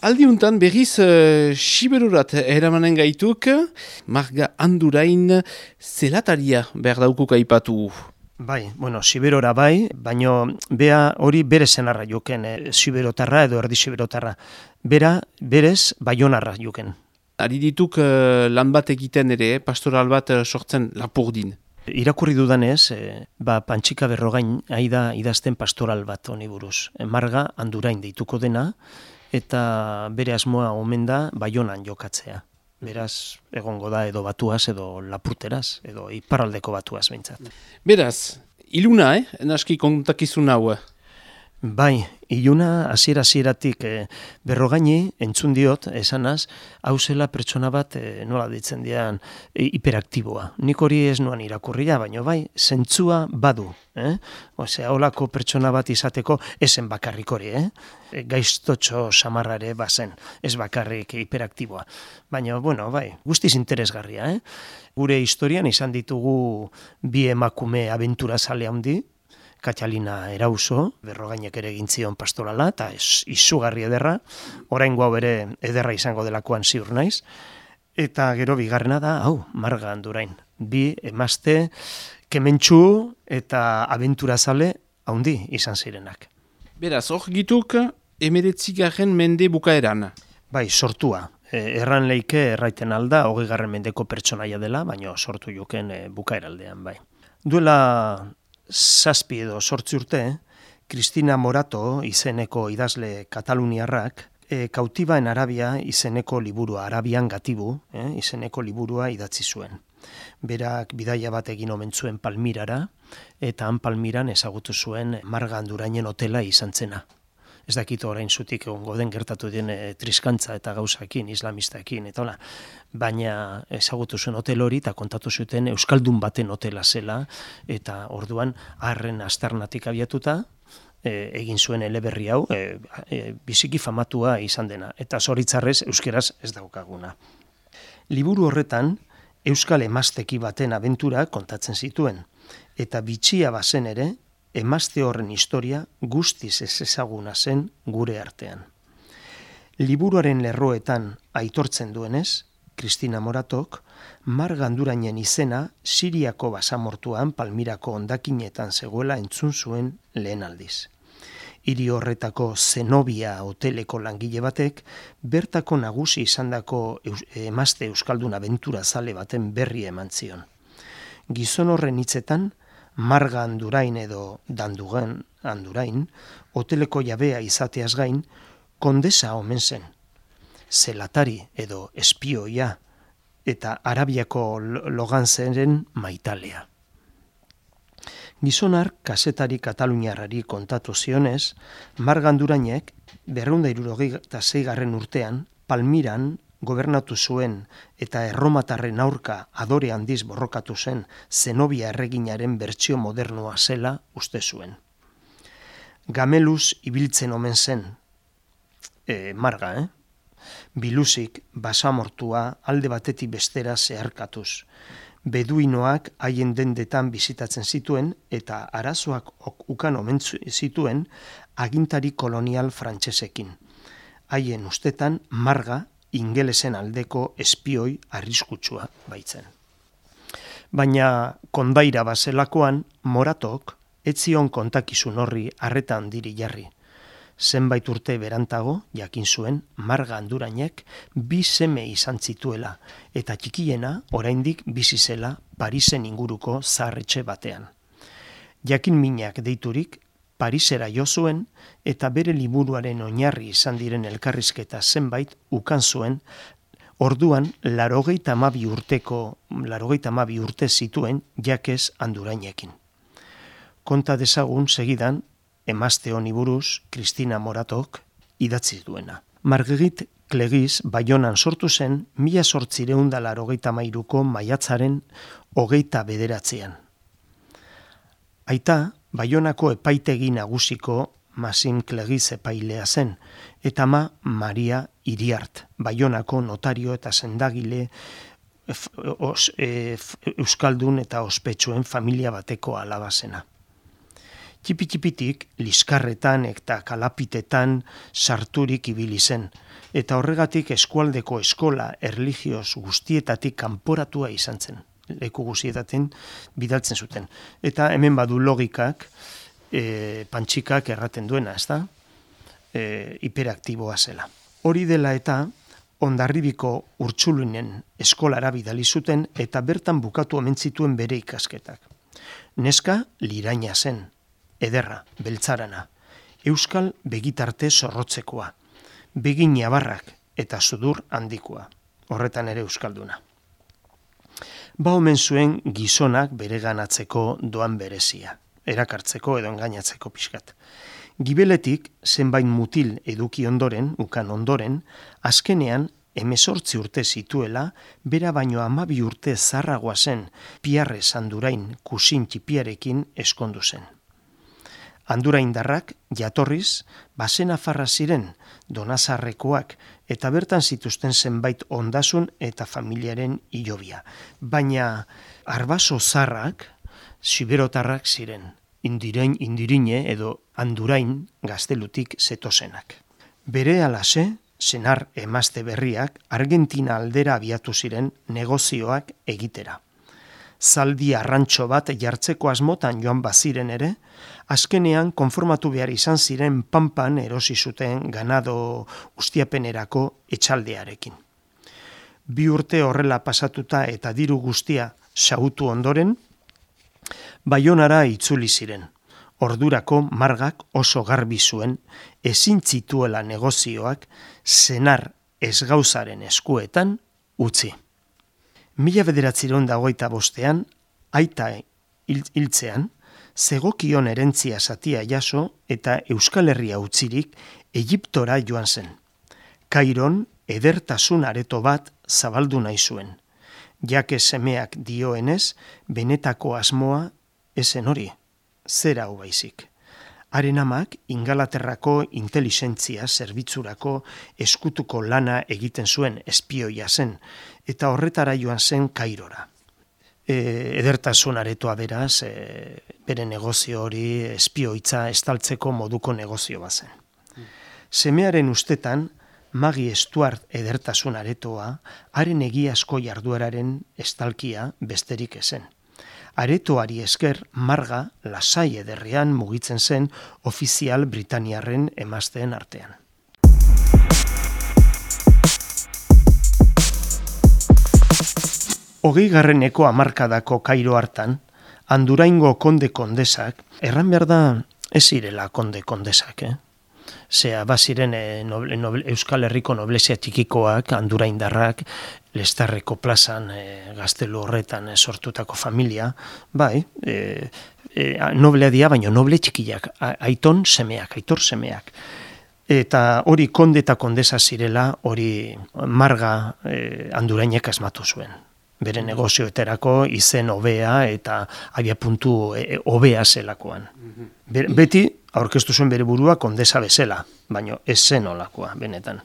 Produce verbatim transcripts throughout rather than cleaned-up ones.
Aldiuntan berriz uh, Siberurat eramanen gaituk, Marga Andurain zelataria behar daukuk aipatu. Bai, bueno, Siberora bai, baino bea hori bere senarra juken, e, Siberotarra edo erdi Siberotarra. Bera, berez, Baionarra juken. Ari dituk uh, lan bat egiten ere, pastoral bat uh, sortzen Lapurdin. Irakurri dudanez, e, ba, Pantxika Berrogain aida idazten pastoral bat honi buruz. E, Marga Andurain deituko dena, eta bere asmoa omen da Baionan jokatzea. Beraz, egongo da edo batuaz, edo lapurteraz, edo iparraldeko batuaz behintzat. Beraz, iluna, eh? Naski kontakizun hau. Bai, iluna hasiera-hasieratik e, Berrogaini entzun diot, esanaz, hau zela pertsona bat e, nola ditzen dian e, hiperaktiboa. Nik hori ez nuan irakurria, baina bai, zentzua badu. Eh? Osea, holako pertsona bat izateko esen bakarrik hori, eh? E, gaiztotxo samarrare bazen, ez bakarrik hiperaktiboa. Baina, bueno, bai, guztiz interesgarria, eh? Gure historian izan ditugu bi emakume abentura zale handi, Katalina Erauso, Berrogainek ere egin zion pastorala, eta izugarri ederra, oraingo hau ere ederra izango delakoan ziur naiz, eta gero bigarrena da, hau, Marga Andurain. Bi emazte kementsu eta abenturazale haundi izan zirenak. Beraz, hor gituk emeretzigarren mende bukaeran. Bai, sortua. E, erran leike erraiten alda, hogei garren mendeko pertsonaia dela, baina sortu juken e, bukaeraldean, bai. Duela zazpi edo sortzi urte, Cristina Morato izeneko idazle kataluniarrak, e, Kautiba en Arabia izeneko liburua, Arabian gatibu, eh, izeneko liburua idatzi zuen. Berak bidaia bat egin omen zuen Palmirara, eta han Palmiran ezagutu zuen Marga Andurainen hotela izan zena. Ez dakit orain zutik egongo den gertatu den e, triskantza eta gauzakin, islamistakin, eta hola. Baina ezagutu zuen hotel hori eta kontatu zuten euskaldun baten hotela zela, eta orduan harren aztarnatik abiatuta, e, egin zuen eleberri hau, e, e, biziki famatua izan dena, eta zoritzarrez euskeraz ez daukaguna. Liburu horretan, euskal emazteki baten abentura kontatzen zituen, eta bitxia bazen ere, emazte horren historia guztiz ez ezaguna zen gure artean. Liburuaren lerroetan aitortzen duenez, Cristina Moratok, Marga Andurainen izena Siriako basamortuan Palmirako hondakinetan zegoela entzun zuen lehen aldiz. Hiri horretako Zenobia hoteleko langile batek, bertako nagusi izandako emazte euskaldun abentura zale baten berri eman zion. Gizon horren hitzetan, Marga Andurain edo Dandugan Andurain, hoteleko jabea izateaz gain, kondesa omen zen. Zelatari edo espioia eta Arabiako loganzeren maitalea. Gizonar kazetari kataluniarrari kontatu zionez, Marga Andurainek berrehun eta hirurogeita seigarren urtean Palmiran gobernatu zuen eta erromatarren aurka adore handiz borrokatu zen Zenobia erreginaren bertsio modernoa zela uste zuen. Gameluz ibiltzen omen zen, e, Marga, eh? Biluzik basamortua alde batetik bestera zeharkatuz. Beduinoak haien dendetan bizitatzen zituen eta arazoak ukan omen zituen agintari kolonial frantsesekin. Haien ustetan Marga ingelesen aldeko espioi arriskutsua baitzen. Baina kondaira bazelakoan, Moratok etzion kontakizun horri arreta handiri jarri. Zenbait urte berantago, jakin zuen, Marga Andurainek bi seme izan zituela, eta txikiena oraindik bizi zela Parisen inguruko zaharretxe batean. Jakin minak deiturik, Parisera jo zuen eta bere liburuaren oinarri izan diren elkarrizketa zenbait ukan zuen, orduan laurogeita hamabi urteko, laurogeita hamabi urte zituen Jakez Andurainekin. Konta dezagun segidan, emazte honi buruz, Cristina Moratok idatzi duena. Marguerite Cleguis Baionan sortu zen mila zortziehun eta laurogeita hamairuko maiatzaren hogeita bederatzean. Aita, Baionako epaitegi nagusiko Masin Cleguis epailea zen, eta ama Maria Iriart, Baionako notario eta sendagile os, e, euskaldun eta ospetsuen familia bateko alaba zena. Txipi-txipitik liskarretan eta kalapitetan sarturik ibili zen, eta horregatik eskualdeko eskola erlijioz guztietatik kanporatua izan zen. Leku guztietaten bidaltzen zuten. Eta hemen badu logikak, e, pantxikak erraten duena, ez da? E, hiperaktiboa zela. Hori dela eta Hondarribiko Urtzulunen eskolara bidali zuten eta bertan bukatu omen zituen bere ikasketak. Neska liraina zen, ederra, beltzarana, euskal begitarte zorrotzekoa, begin jabarrak eta sudur handikoa, horretan ere euskalduna. Ba omen zuen gizonak bereganatzeko doan berezia, erakartzeko edo engainatzeko pixkat. Gibeletik zenbait mutil eduki ondoren, ukan ondoren, azkenean hemezortzi urte zituela, bera baino hamabi urte zarragoa zen, Piarrez Andurain kusin txipiarekin eskondu zen. Anduraindarrak jatorriz, basenafarra ziren, Donazarrekoak, eta bertan zituzten zenbait ondasun eta familiaren hilobia. Baina arbaso zarrak, siberotarrak ziren, indirein indirine edo Andurain gaztelutik zetozenak. Bere alase, senar emazte berriak, Argentina aldera abiatu ziren negozioak egitera. Zaldi arrantxo bat jartzeko asmotan joan baziren ere, azkenean konformatu behar izan ziren Pampan erosi zuten ganado ustiapenerako etxaldearekin. Bi urte horrela pasatuta eta diru guztia xahutu ondoren, Baionara itzuli ziren. Ordurako Margak oso garbi zuen, ezin zituela negozioak senar ezgauzaren eskuetan utzi. Mila bederatziron dagoita bostean, aita hiltzean, zegokion erentzia zatia jaso eta Euskal Herria utzirik Egiptora joan zen. Kairon edertasun areto bat zabaldu nahi zuen. Jake semeak dioenez, benetako asmoa esen hori, zera hau baizik. Haren amak Ingalaterrako inteligentzia zerbitzurako eskutuko lana egiten zuen espioia zen, eta horretara joan zen Kairora. E, edertasun aretoa beraz, e, bere negozio hori espioitza estaltzeko moduko negozio bazen. Semearen ustetan, Magi Stuart edertasun aretoa, haren egiazko jardueraren estalkia besterik ezen. Aretoari esker Marga lasai ederrean mugitzen zen ofizial Britaniarren emazteen artean. Hogei garreneko hamarkadako Kairo hartan, Anduraingo konde kondesak, erran behar da ez zirela konde kondesak, eh? Zea, baziren e, noble, noble, Euskal Herriko noblezia txikikoak, Anduraindarrak, Lestarreko plazan e, gaztelu horretan e, sortutako familia, bai, e, e, noblea dia, baina noble txikiak, aiton semeak, aitor semeak. Eta hori konde eta kondesa zirela, hori Marga e, Andurainek asmatu zuen. Bere negozioeterako izen hobea eta abiapuntu e, hobea zelakoan. Be, beti aurkeztu zuen bere burua kondesa bezala, baina ez zen olakoa, benetan.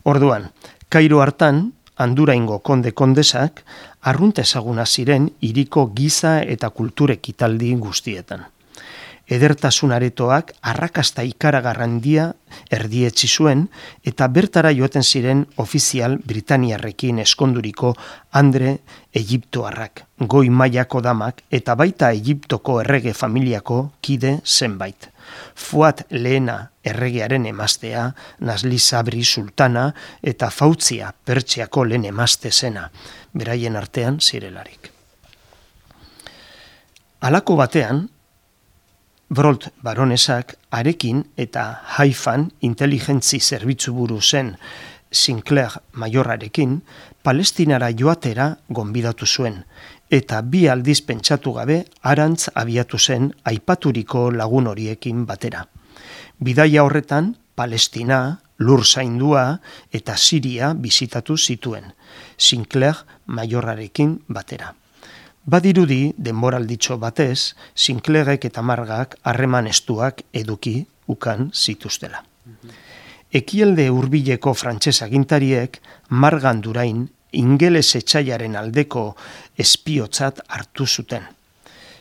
Orduan, Kairo hartan, Anduraingo konde kondesak, arrunt ezaguna ziren hiriko giza eta kulture ekitaldi guztietan. Edertasun aretoak arrakasta ikaragarrandia erdietzi zuen eta bertara joaten ziren ofizial Britaniarrekin eskonduriko Andre Egiptoarrak, goi mailako damak eta baita Egiptoko errege familiako kide zenbait. Fuat lehena erregearen emaztea, Nasli Sabri sultana eta Fautzia Pertsiako lehen emazte zena, beraien artean zirelarik. Halako batean, Brolt baronesak arekin eta Haifan inteligentzi zerbitzu buru zen Sinclair maiorrarekin Palestinara joatera gonbidatu zuen, eta bi aldiz pentsatu gabe harantz abiatu zen aipaturiko lagun horiekin batera. Bidaia horretan Palestina, Lur zaindua eta Siria bizitatu zituen, Sinclair maiorrarekin batera. Badirudi, denboralditxo batez, Sinclairek eta Margak harreman estuak eduki ukan zituztela. Ekialde hurbileko frantses agintariek Marga Andurain ingeles etxaiaren aldeko espiotzat hartu zuten.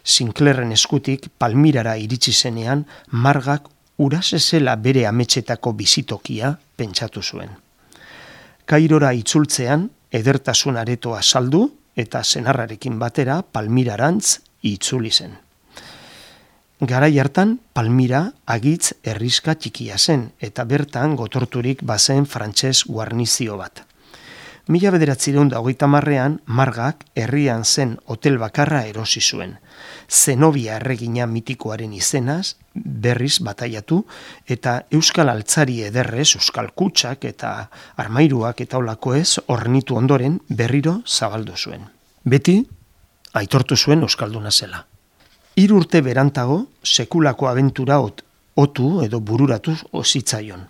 Sinclairren eskutik Palmirara iritsi zenean, Margak urase zela bere ametsetako bizitokia pentsatu zuen. Kairora itzultzean, edertasun aretoa saldu eta senarrarekin batera Palmirarantz itzuli zen. Garai hartan, Palmira agitz herriska txikia zen eta bertan gotorturik bazen frantses guarnizio bat. Mila bederatziehun eta hogeita hamarrean, Margak herrian zen hotel bakarra erosi zuen. Zenobia erregina mitikoaren izenaz, berriz bataiatu, eta euskal altzari ederrez, euskal kutsak eta armairuak eta olakoez hornitu ondoren berriro zabaldu zuen. Beti, aitortu zuen euskalduna zela. Hiru urte berantago, sekulako abentura ot, otu edo bururatu zitzaion.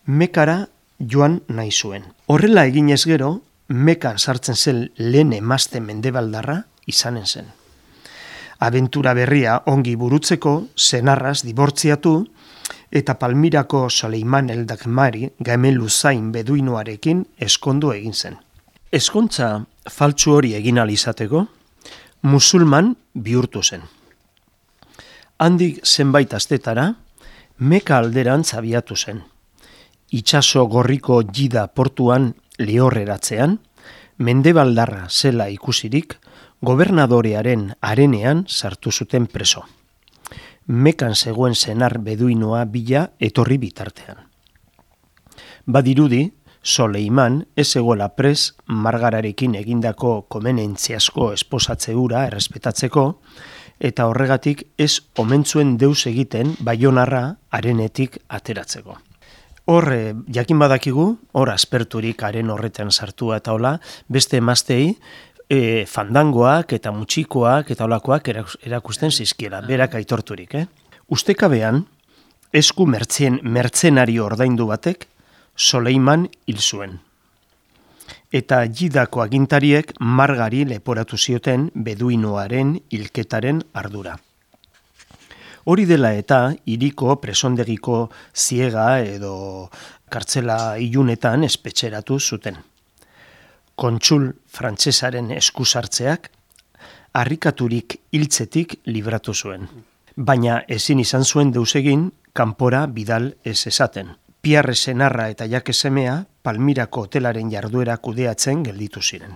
Mekara joan nahi zuen. Horrela eginez gero, Mekan sartzen zen lehen emazte mendebaldarra izanen zen. Abentura berria ongi burutzeko, senarraz dibortziatu, eta Palmirako Soleiman el Dagmari Gamen Luzain beduinoarekin eskondu egin zen. Eskontza faltsu hori egin ahal izateko, musulman bihurtu zen. Handik zenbait astetara, Meka alderantz abiatu zen. Itsaso gorriko Jida portuan lehorreratzean, mendebaldarra zela ikusirik, gobernadorearen arenean sartu zuten preso. Mekan zegoen senar beduinoa bila etorri bitartean. Badirudi, Soleiman ez zegoela pres Margararekin egindako komenentziazko esposatze hura errespetatzeko, eta horregatik ez omentzuen deus egiten Baionarra arenetik ateratzeko. Hor, jakin badakigu, hor asperturik haren horretan sartua eta hola, beste emaztei e, fandangoak eta mutxikoak eta holakoak erakusten zizkiela, berak aitorturik. Eh? Ustekabean, esku mertzen, mertzenario ordaindu batek, Soleiman hil zuen. Eta Jidako agintariek Margari leporatu zioten beduinoaren hilketaren ardura. Hori dela eta hiriko presondegiko ziega edo kartzela ilunetan espetxeratu zuten. Kontsul frantsesaren eskusartzeak harrikaturik hiltzetik libratu zuen. Baina ezin izan zuen deus egin kanpora bidal ez esaten. Pierre senarra eta Jake semea Palmirako hotelaren jarduera kudeatzen gelditu ziren.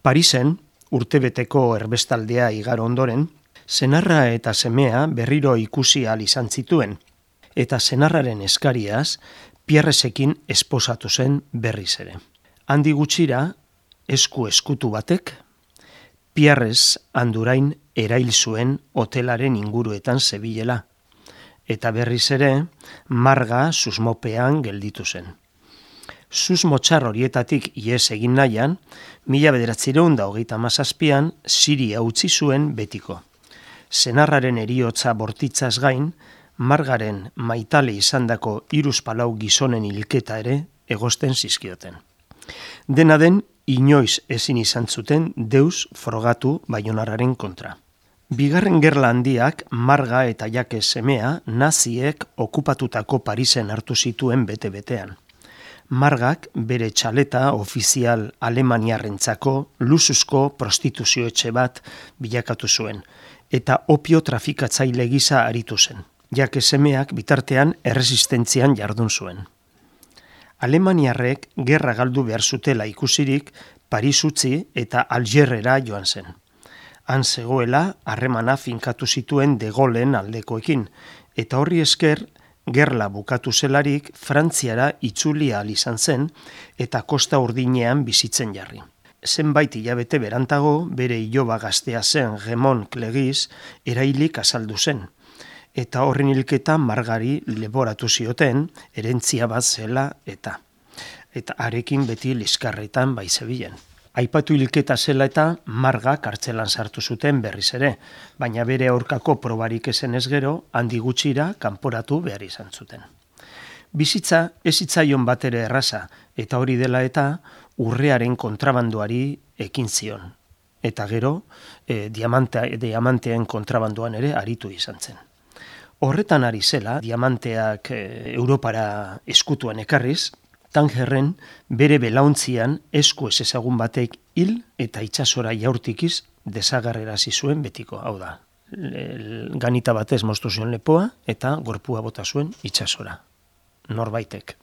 Parisen, urtebeteko erbestaldea igaro ondoren, senarra eta semea berriro ikusi ahal izan zituen, eta senarraren eskariaz Pierresekin esposatu zen berriz ere. Handi gutxira, esku eskutu batek, Pierrez Andurain erail zuen hotelaren inguruetan zebilela, eta berriz ere Marga susmopean gelditu zen. Susmotxar horietatik ihes egin nahian, mila bederatziehun eta hogeita hamazazpian Siria utzi zuen betiko. Senarraren eriotza bortitzaz gain, Margaren maitale izandako hiruzpalau gizonen hilketa ere egosten zizkioten. Dena den, inoiz ezin izan zuten deus frogatu Baionarraren kontra. Bigarren gerla handiak Marga eta Jake semea naziek okupatutako Parisen hartu zituen bete-betean. Margak bere txaleta ofizial alemaniarrentzako luxuzko prostituzio etxe bat bilakatu zuen, eta opio trafikatzaile gisa aritu zen. Jake semeak bitartean erresistentzian jardun zuen. Alemaniarrek gerra galdu behar zutela ikusirik Paris utzi eta Algerrera joan zen. Han zegoela harremana finkatu zituen De Gaullen aldekoekin, eta horri esker gerla bukatu zelarik Frantziara itzuli ahal izan zen eta Kosta Urdinean bizitzen jarri. Zenbait hilabete berantago bere iloba gaztea zen Raymond Clegis erailik azaldu zen, eta horren hilketa Margari leboratu zioten herentzia bat zela eta eta harekin beti liskarretan bai zebilen. Aipatu hilketa zela eta Marga kartzelan sartu zuten berriz ere, baina bere aurkako probarik ezen ez gero, handi gutxira kanporatu behar izan zuten. Bizitza ez zitzaion batere erraza, eta hori dela eta urrearen kontrabandoari ekin zion. Eta gero, e, diamantea, diamanteen kontrabandoan ere aritu izan zen. Horretan ari zela, diamanteak e, Europara eskutuan ekarriz, Tangerren bere belauntzian esku ez ezagun batek hil eta itsasora jaurtikiz desagarrerazi zuen betiko, hau da, ganita batez moztu zion lepoa, eta gorpua bota zuen itsasora. Norbaitek.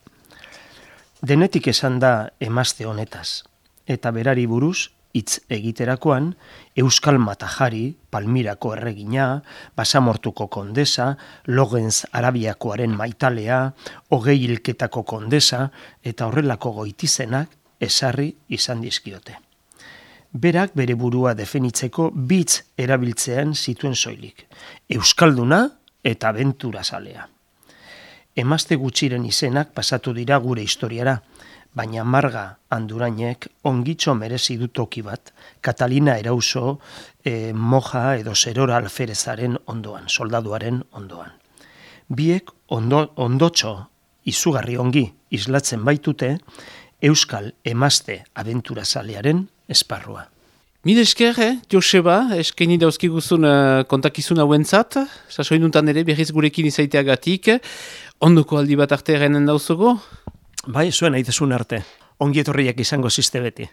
Denetik esan da emazte honetaz, eta berari buruz hitz egiterakoan, Euskal Matajari, Palmirako erregina, Basamortuko kondesa, Logenz Arabiakoaren maitalea, Hogei hilketako kondesa, eta horrelako goitizenak ezarri izan dizkiote. Berak bere burua definitzeko bitz erabiltzean zituen soilik. Euskalduna eta abentura zalea. Emazte gutxiren izenak pasatu dira gure historiara, baina Marga Andurainek ongitxo merezi du toki bat, Katalina Erauso e, moja edo zerora alferezaren ondoan, soldaduaren ondoan. Biek ondo, ondotxo izugarri ongi islatzen baitute Euskal emazte abenturazalearen esparrua. Mil esker, eh, Joseba, eskaini dauzkiguzun uh, kontakizun hauentzat, sasoinuntan ere berriz gurekin izaiteagatik, ondoko aldi bat arte errenen dauzugo? Bai, zuen aitezun arte. Ongi etorriak izango ziste beti.